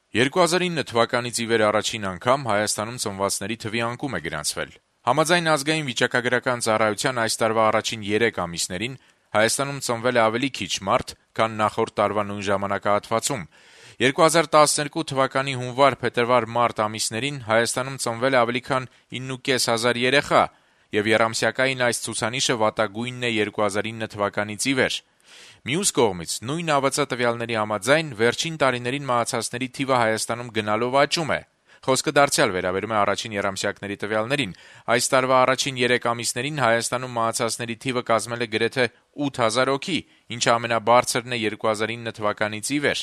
2009 թվականից ի վեր առաջին անգամ Հայաստանում ծնվածների թվի անկում է գրանցվել։ Համաձայն ազգային վիճակագրական ծառայության այս տարվա առաջին 3 ամիսներին Հայաստանում ծնվել է ավելի քիչ մարդ, քան նախորդ տարվա նույն ժամանակահատվածում։ 2012 թվականի հունվար-փետրվար-մարտ ամիսներին Հայաստանում ծնվել է ավելի քան 9.5 հազար երեխա, եւ եռամսյակային այս ցուցանիշը վատագույնն է 2009 թվականից ի վեր։ Մյուս կողմից, նույն ԱՎԾ տվյալների համաձայն, վերջին տարիներին մահացածների թիվը Հայաստանում գնալով աճում է։ Խոսքը դարձյալ վերաբերում է առաջին եռամսյակների տվյալներին։ Այս տարվա առաջին 3 ամիսներին Հայաստանում մահացածների թիվը կազմել է գրեթե 8000 հոգի, ինչը ամենաբարձրն է 2009 թվականից ի վեր։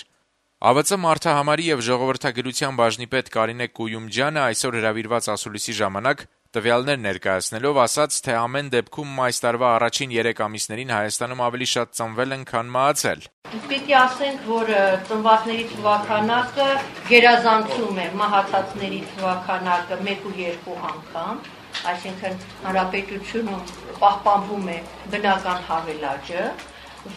ԱՎԾ մարդահամարի եւ ժողովրդագրության բաժնի պետ Կարինե Կույումջյանը այսօր հրավիրված ասուլիսի ժամանակ տվյալներ ներկայացնելով ասաց, թե ամեն դեպքում այս տարվա առաջին 3 ամիսներին Հայաստանում ավելի շատ ծնվել են, քան մահացել։ Պիտի ասենք, որ ծնվածների թվականակը գերազանցում է մահացածների թվականակը 1 ու 2 անգամ, այսինքն հանրապետությունում պահպանվում է բնական հավելաճը,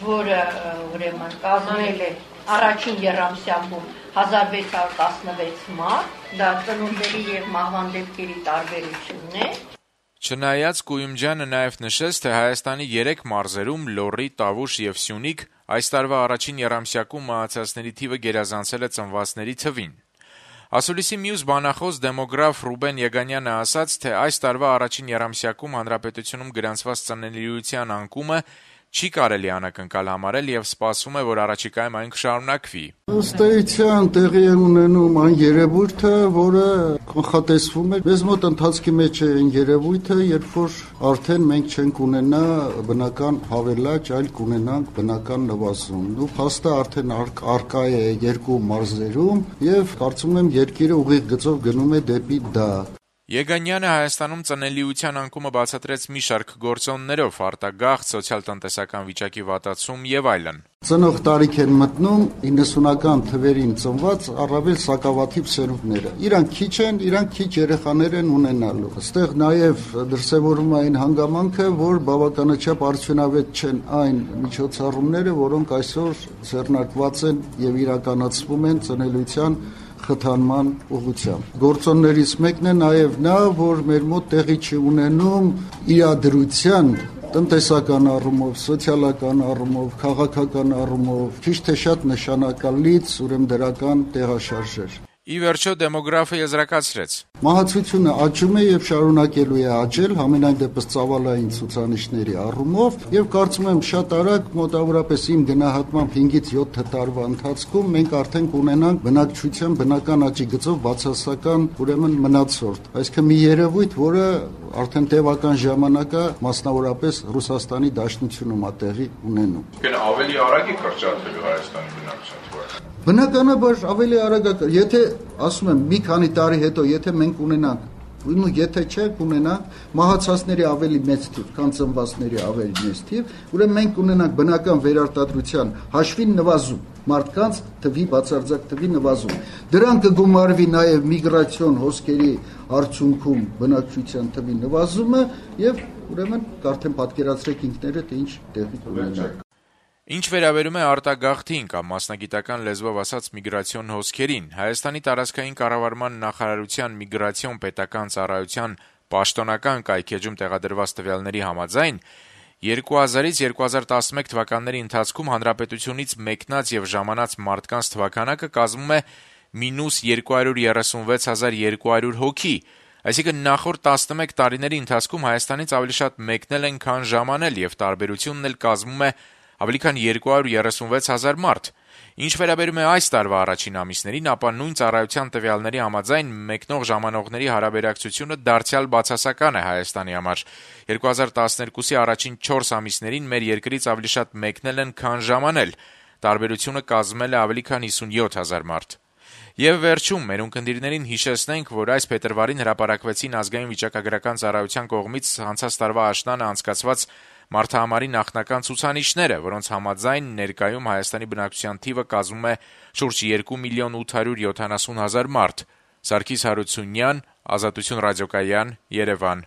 որը ուրեմն կազմել է առաջին եռամսյակում 1616 մարդ, դա ծնունդների եւ մահվան դեպքերի տարբերությունն է։ Չնայած Կույումջյանը նաեւ նշեց, թե Հայաստանի 3 մարզերում՝ Լոռի, Տավուշ եւ Սյունիք, այս տարվա առաջին եռամսյակում մահացածների թիվը գերազանցել է ծնվածների թվին։ Ասուլիսի մյուս բանախոս դեմոգրաֆ Ռուբեն Եգանյանը ասաց, թե այս տարվա առաջին եռամսյակում հանրապետությունում գրանցված ծնելիության անկումը չի կարելի անակնկալ համարել եւ սպասվում է, որ առաջիկայում այն կշարունակվի։ Ըստ էության տեղի է ունենում այն երևույթը, որը կանխատեսվում է։ Մեզ մոտ ընթացքի մեջ է այն երևույթը, երբ որ արդեն մենք չենք ունենա բնական հավելաճ, այլ կունենանք բնական նվազում։ Դու փաստը արդեն արկա է 2 մարզերում եւ կարծում եմ երկիրը ուղիղ գծով գնում է դեպի դա։ Եգանյանը Հայաստանում ծնելիության անկումը բացատրեց մի շարք գործոններով՝ արտագաղթ, սոցիալ-տնտեսական վիճակի վատացում եւ այլն։ Ծնող տարիք են մտնում 90-ական թվերին ծնված առավել սակավաթիվ սերունդները։ Իրանք քիչ են, իրանք քիչ երեխաներ են ունենալու։ Այստեղ նաեւ դրսևորվում է այն հանգամանքը, որ բավականաչափ արդյունավետ չեն այն միջոցառումները, որոնք այսօր ձեռնարկված են եւ իրականացվում են ծնելիության խթանման ուղղությամբ։ Գործոններից մեկն է նաև նա, որ մեր մոտ տեղի չի ունենում իրադրության տնտեսական առումով, սոցիալական առումով, քաղաքական առումով, քիչ թե շատ նշանակալից ուրեմն դրական տեղաշարժեր։ Ի վերջո դեմոգրաֆը եզրակացրեց. Մահացությունը աճում է եւ շարունակելու է աճել, համենայն դեպս ծավալային ցուցանիշների առումով, եւ կարծում եմ շատ արագ, մոտավորապես իմ գնահատմամբ 5-ից 7 տարվա ընթացքում մենք արդեն կունենանք բնակչության բնական աճի գծով բացասական ուրեմն մնացորդ։ Այսինքն մի երևույթ, որը արդեն տևական ժամանակ է մասնավորապես Ռուսաստանի Դաշնությունում է տեղի ունենում։ Կեն ավելի արագ է կրճատվելու Հայաստանի բնակչության թվը։ Բնականաբար ավելի արագ է, եթե ասում եմ մի քանի տարի հետո, եթե մենք ունենանք, ու եթե չէ, կունենանք մահացածների ավելի մեծ թիվ, քան ծնվածների ավելի մեծ թիվ, ուրեմն մենք կունենանք բնական վերարտադրության հաշվին նվազում, մարդկանց թվի բացարձակ թվի նվազում։ Դրան կգումարվի նաև միգրացիոն հոսքերի արդյունքում բնակչության թվի նվազումը եւ ուրեմն արդեն պատկերացրեք ինքներդ ինչ տեղի կունենա։ Ինչ վերաբերում է արտագաղթին կամ մասնագիտական լեզվով ասած միգրացիոն հոսքերին, Հայաստանի տարածքային կառավարման նախարարության միգրացիոն պետական ծառայության պաշտոնական կայքեջում տեղադրված տվյալների համաձայն 2000-ից 2011 թվականների ընթացքում հանրապետությունից մեկնած եւ ժամանած մարդկանց թվականակը կազմում է -236,200 հոգի, այսինքն նախորդ 11 տարիների ընթացքում Հայաստանից ավելի շատ մեկնել են, քան ժամանել եւ տարբերությունն էլ կազմում է ավելի քան 236,000 մարդ։ Ինչ վերաբերում է այս տարվա առաջին ամիսներին, ապա նույն ծառայության տվյալների համաձայն մեկնող ժամանողների հարաբերակցությունը դարձյալ բացասական է Հայաստանի համար։ 2012-ի առաջին 4 ամիսներին մեր երկրից ավելի շատ մեկնել են, քան ժամանել։ Տարբերությունը կազմել է ավելի քան 57,000 մարդ։ Եվ վերջում մեր ունկնդիրներին հիշեցնենք, որ այս փետրվարին հրապարակվեցին ազգային վիճակագրական ծառայության կողմից անցած տարվա աշնանը անցկացված մարդահամարի նախնական ցուցանիշները, որոնց համաձայն ներկայում Հայաստանի բնակչության թիվը կազմում է շուրջ 2,870,000 մարդ։ Սարգիս Հարությունյան, Ազատություն ռադիոկայան, Երևան։